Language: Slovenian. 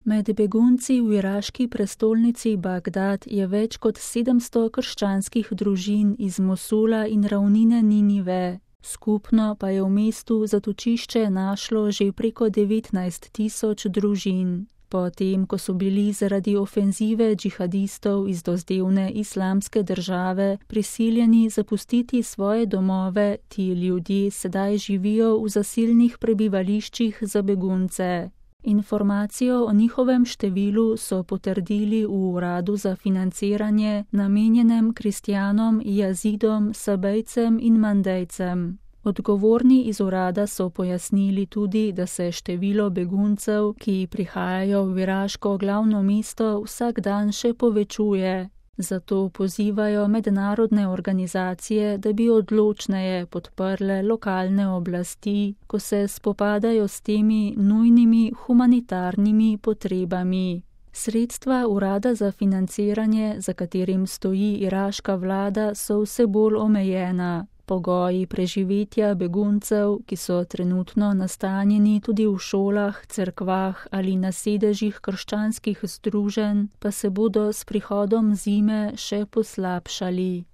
Med begunci v iraški prestolnici Bagdad je več kot 700 krščanskih družin iz Mosula in ravnine Ninive. Skupno pa je v mestu zatočišče našlo že preko 19.000 družin. Potem, ko so bili zaradi ofenzive džihadistov iz dozdevne islamske države prisiljeni zapustiti svoje domove, ti ljudje sedaj živijo v zasilnih prebivališčih za begunce. Informacijo o njihovem številu so potrdili v uradu za financiranje, namenjenem kristjanom, jazidom, sabejcem in mandejcem. Odgovorni iz urada so pojasnili tudi, da se število beguncev, ki prihajajo v iraško glavno mesto, vsak dan še povečuje. Zato pozivajo mednarodne organizacije, da bi odločneje podprle lokalne oblasti, ko se spopadajo s temi nujnimi humanitarnimi potrebami. Sredstva urada za financiranje, za katerim stoji iraška vlada, so vse bolj omejena. Pogoji preživetja beguncev, ki so trenutno nastanjeni tudi v šolah, cerkvah ali na sedežih krščanskih združenj, pa se bodo s prihodom zime še poslabšali.